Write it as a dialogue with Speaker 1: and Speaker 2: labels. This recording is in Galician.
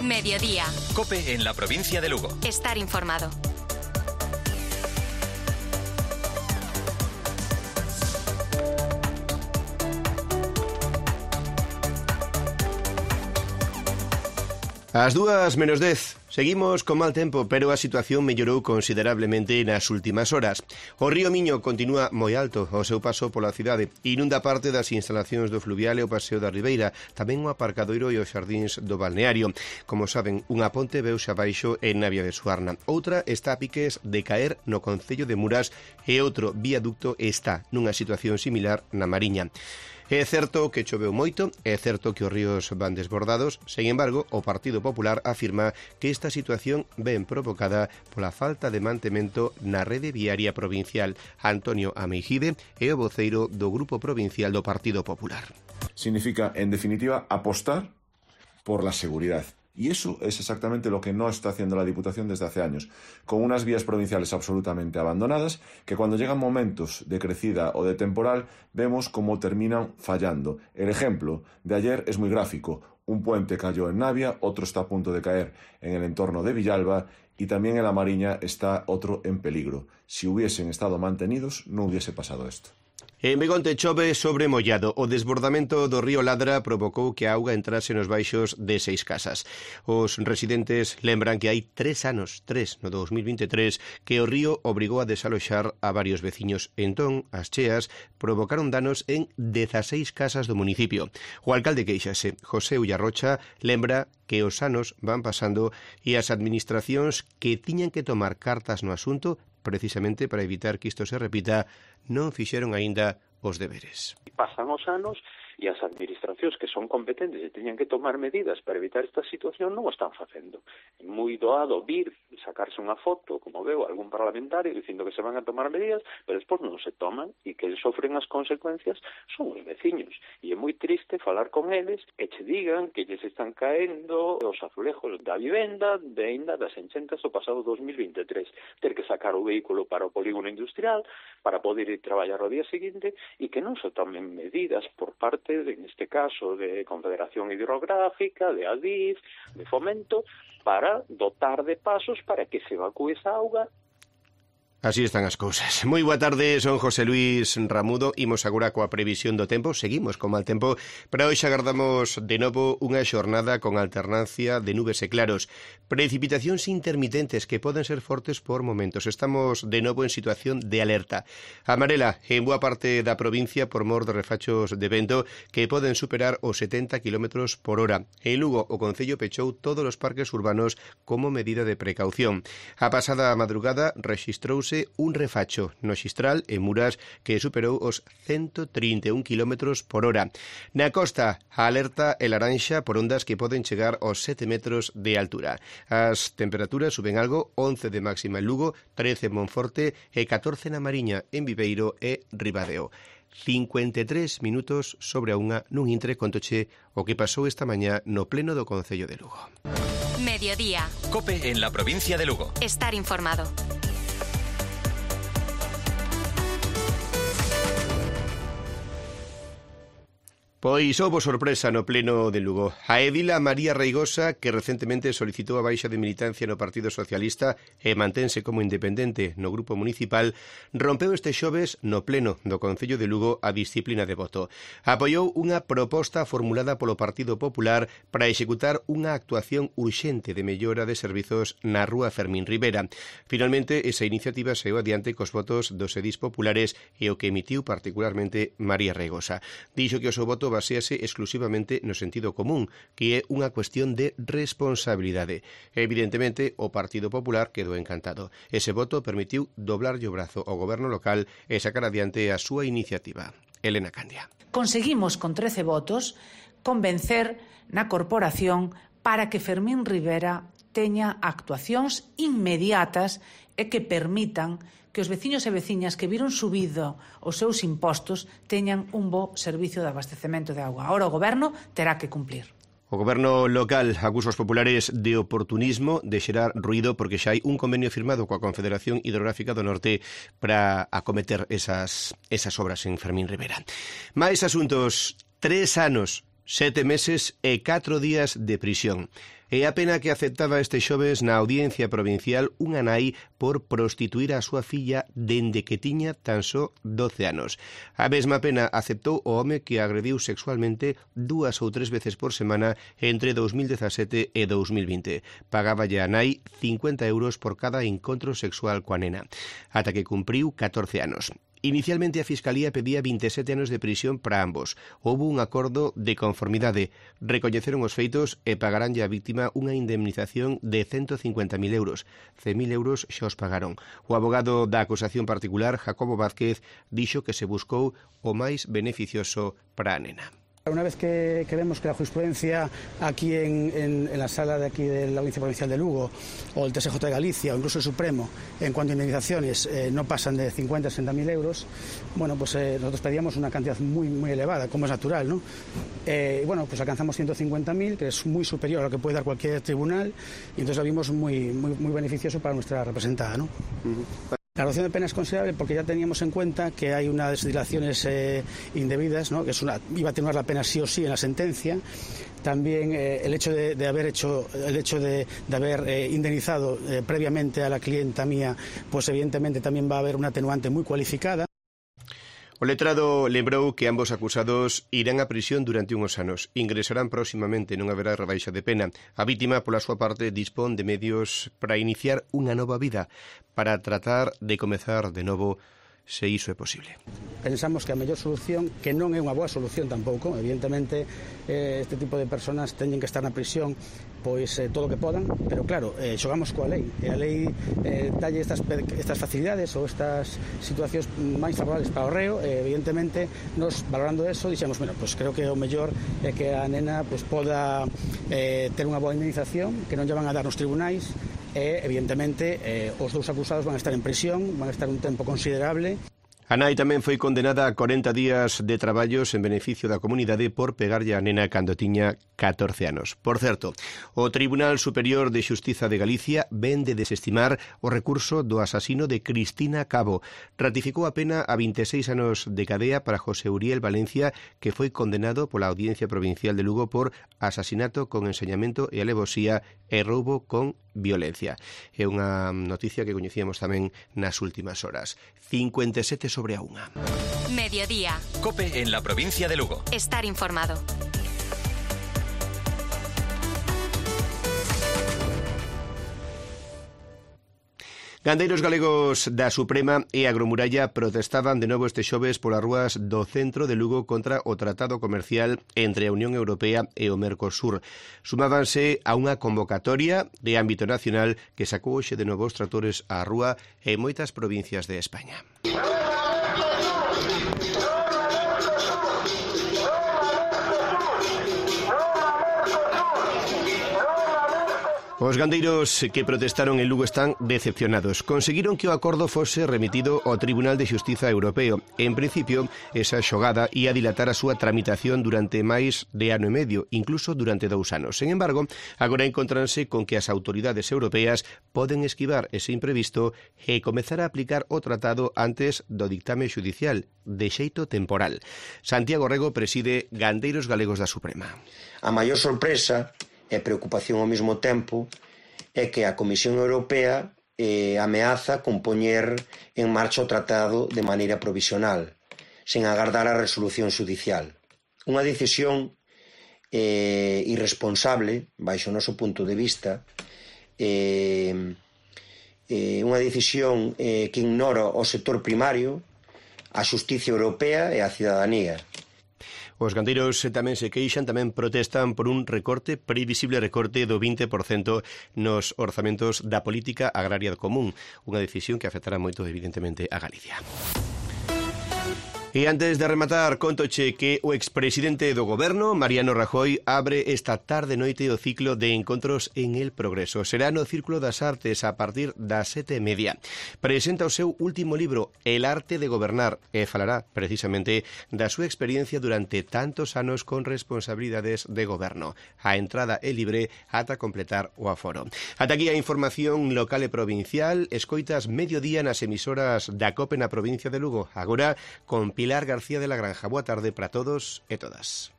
Speaker 1: Mediodía.
Speaker 2: COPE en la provincia de Lugo.
Speaker 1: Estar informado.
Speaker 3: Ás 2:10. Seguimos con mal tempo, pero a situación mellorou considerablemente nas últimas horas. O río Miño continúa moi alto ao seu paso pola cidade. Inunda parte das instalacións do fluvial e o paseo da Ribeira, tamén o aparcadoiro e os xardíns do balneario. Como saben, unha ponte veuse abaixo en Navia de Suarna. Outra está a piques de caer no concello de Muras e outro viaducto está nunha situación similar na Mariña. É certo que choveu moito, é certo que os ríos van desbordados, sen embargo, o Partido Popular afirma que esta situación ven provocada pola falta de mantemento na rede viaria provincial. Antonio Ameijide é o voceiro do Grupo Provincial do Partido Popular.
Speaker 4: Significa, en definitiva, apostar por la seguridad. Y eso es exactamente lo que no está haciendo la Diputación desde hace años, con unas vías provinciales absolutamente abandonadas, que cuando llegan momentos de crecida o de temporal, vemos cómo terminan fallando. El ejemplo de ayer es muy gráfico. Un puente cayó en Navia, otro está a punto de caer en el entorno de Villalba y también en la Mariña está otro en peligro. Si hubiesen estado mantenidos, no hubiese pasado esto.
Speaker 3: En Begonte chove sobre mollado. O desbordamento do río Ladra provocou que a auga entrase nos baixos de 6 casas. Os residentes lembran que hai 3 anos, no 2023, que o río obrigou a desaloxar a varios veciños. Entón, as cheas provocaron danos en 16 casas do municipio. O alcalde queixase, José Ullarrocha, lembra que os anos van pasando e as administracións que tiñan que tomar cartas no asunto precisamente para evitar que isto se repita, non fixeron aínda os deberes.
Speaker 5: Pasan os anos e as administracións que son competentes e teñen que tomar medidas para evitar esta situación non o están facendo. É moi doado vir sacarse unha foto, como veo algún parlamentario dicindo que se van a tomar medidas, pero despois non se toman e que sofren as consecuencias son os veciños. E é moi triste falar con eles e che digan que lles están caendo os azulejos da vivenda de ainda das enchentas do pasado 2023. Ter que sacar o vehículo para o polígono industrial para poder ir traballar ao día seguinte e que non se tomen medidas por parte, en este caso, de Confederación Hidrográfica, de Adif, de Fomento, para dotar de pasos para que se evacúe esa auga.
Speaker 3: Así están as cousas. Moi boa tarde, son José Luis Ramudo. Imos agora coa previsión do tempo. Seguimos con mal tempo, pero hoxe agardamos de novo unha xornada con alternancia de nubes e claros. Precipitacións intermitentes que poden ser fortes por momentos. Estamos de novo en situación de alerta amarela en boa parte da provincia por mor de refachos de vento que poden superar os 70 km por hora. En Lugo, o Concello pechou todos os parques urbanos como medida de precaución. A pasada madrugada rexistrouse un refacho no Xistral en Muras que superou os 131 km por hora. Na costa, a alerta é laranxa por ondas que poden chegar aos 7 metros de altura. As temperaturas suben algo, 11 de máxima en Lugo, 13 en Monforte e 14 na Mariña, en Viveiro e Ribadeo. 53 minutos sobre a unha nun intre contoche o que pasou esta mañá no pleno do Concello de Lugo.
Speaker 1: Mediodía.
Speaker 2: COPE en la provincia de Lugo.
Speaker 1: Estar informado.
Speaker 3: Pois houbo sorpresa no pleno de Lugo. A edila María Reigosa, que recentemente solicitou a baixa de militancia no Partido Socialista e mantense como independente no grupo municipal, rompeu este xoves no pleno do Concello de Lugo a disciplina de voto. Apoiou unha proposta formulada polo Partido Popular para executar unha actuación urxente de mellora de servizos na rúa Fermín Rivera. Finalmente, esa iniciativa saiu adiante cos votos dos edís populares e o que emitiu particularmente María Reigosa. Dixo que o seu voto basease exclusivamente no sentido común, que é unha cuestión de responsabilidade. Evidentemente, o Partido Popular quedou encantado. Ese voto permitiu doblarlle o brazo ao goberno local e sacar adiante a súa iniciativa. Elena Candia.
Speaker 6: Conseguimos con 13 votos convencer na corporación para que Fermín Rivera teña actuacións inmediatas e que permitan que os veciños e veciñas que viron subido os seus impostos teñan un bo servicio de abastecemento de auga. Ahora o Goberno terá que cumplir.
Speaker 3: O goberno local acusa os populares de oportunismo, de xerar ruído, porque xa hai un convenio firmado coa Confederación Hidrográfica do Norte para acometer esas obras en Fermín Rivera. Mais asuntos, 3 anos 7 meses e 4 días de prisión. E a pena que aceptaba este xoves na Audiencia Provincial unha nai por prostituir a súa filla dende que tiña tan só 12 anos. A mesma pena aceptou o home que agrediu sexualmente 2 ou 3 veces por semana entre 2017 e 2020. Pagáballe a nai 50 euros por cada encontro sexual coa nena, ata que cumpriu 14 anos. Inicialmente a Fiscalía pedía 27 anos de prisión para ambos. Houbo un acordo de conformidade. Recoñeceron os feitos e pagaranlle á víctima unha indemnización de 150.000 euros. 100.000 euros xa os pagaron. O abogado da acusación particular, Jacobo Vázquez, dixo que se buscou o máis beneficioso para a nena.
Speaker 7: Una vez que vemos que la jurisprudencia aquí en la sala de aquí de la Audiencia Provincial de Lugo o el TSJ de Galicia o incluso el Supremo en cuanto a indemnizaciones no pasan de 50 a 60.000 euros, bueno, pues nosotros pedíamos una cantidad muy elevada, como es natural, ¿no? Bueno, pues alcanzamos 150.000, que es muy superior a lo que puede dar cualquier tribunal, y entonces lo vimos muy beneficioso para nuestra representada, ¿no? La reducción de pena es considerable porque ya teníamos en cuenta que hay unas dilaciones indebidas, ¿no? Que iba a atenuar la pena sí o sí en la sentencia. También el hecho de haber indemnizado previamente a la clienta mía, pues evidentemente también va a haber una atenuante muy cualificada.
Speaker 3: O letrado lembrou que ambos acusados irán a prisión durante uns anos. Ingresarán próximamente, non haberá rebaixa de pena. A vítima, pola súa parte, dispón de medios para iniciar unha nova vida, para tratar de comezar de novo, se iso é posible.
Speaker 7: Pensamos que a mellor solución, que non é unha boa solución tampouco, evidentemente este tipo de personas teñen que estar na prisión pois todo o que podan, pero claro, xogamos coa lei, e a lei dalle estas facilidades ou estas situacións máis favorables para o reo, evidentemente nos valorando eso dixemos, bueno, pois creo que o mellor é que a nena pois poda ter unha boa indemnización que non lle van a dar nos tribunais, e evidentemente os dous acusados van a estar en prisión, van a estar un tempo considerable.
Speaker 3: A nai tamén foi condenada a 40 días de traballos en beneficio da comunidade por pegarlle a nena cando tiña 14 anos. Por certo, o Tribunal Superior de Xustiza de Galicia ven de desestimar o recurso do asasino de Cristina Cabo. Ratificou a pena a 26 anos de cadea para José Uriel Valencia, que foi condenado pola Audiencia Provincial de Lugo por asasinato con ensañamento e alevosía e roubo con violencia. É unha noticia que coñecíamos tamén nas últimas horas. 57/1.
Speaker 1: Mediodía.
Speaker 2: COPE en la provincia de Lugo.
Speaker 1: Estar informado.
Speaker 3: Gandeiros galegos da Suprema e Agromuralla protestaban de novo este xoves polas rúas do centro de Lugo contra o tratado comercial entre a Unión Europea e o Mercosur. Sumábanse a unha convocatoria de ámbito nacional que sacou hoxe de novo os tractores á rúa en moitas provincias de España. Os gandeiros que protestaron en Lugo están decepcionados. Conseguiron que o acordo fose remitido ao Tribunal de Xustiza Europeo. En principio, esa xogada ia dilatar a súa tramitación durante máis de ano e medio, incluso durante 2 anos. Sen embargo, agora encontranse con que as autoridades europeas poden esquivar ese imprevisto e comezar a aplicar o tratado antes do dictame xudicial, de xeito temporal. Santiago Rego preside Gandeiros Galegos da Suprema.
Speaker 8: A maior sorpresa e preocupación ao mesmo tempo é que a Comisión Europea ameaza con poñer en marcha o tratado de maneira provisional, sen agardar a resolución xudicial. Unha decisión irresponsable, baixo o noso punto de vista, unha decisión que ignora o sector primario, a xustiza europea e a cidadanía.
Speaker 3: Os gandeiros tamén se queixan, tamén protestan por un previsible recorte do 20% nos orzamentos da política agraria común, unha decisión que afectará moito, evidentemente, a Galicia. E antes de rematar, contoche que o expresidente do Goberno, Mariano Rajoy, abre esta tarde-noite o ciclo de encontros en El Progreso. Será no Círculo das Artes a partir das 7:30. Presenta o seu último libro, El arte de gobernar, e falará precisamente da súa experiencia durante tantos anos con responsabilidades de goberno. A entrada é libre ata completar o aforo. Ata aquí a información local e provincial. Escoitas Mediodía nas emisoras da COPE na provincia de Lugo. Agora con Pilar García de la Granja. Boa tarde para todos e todas.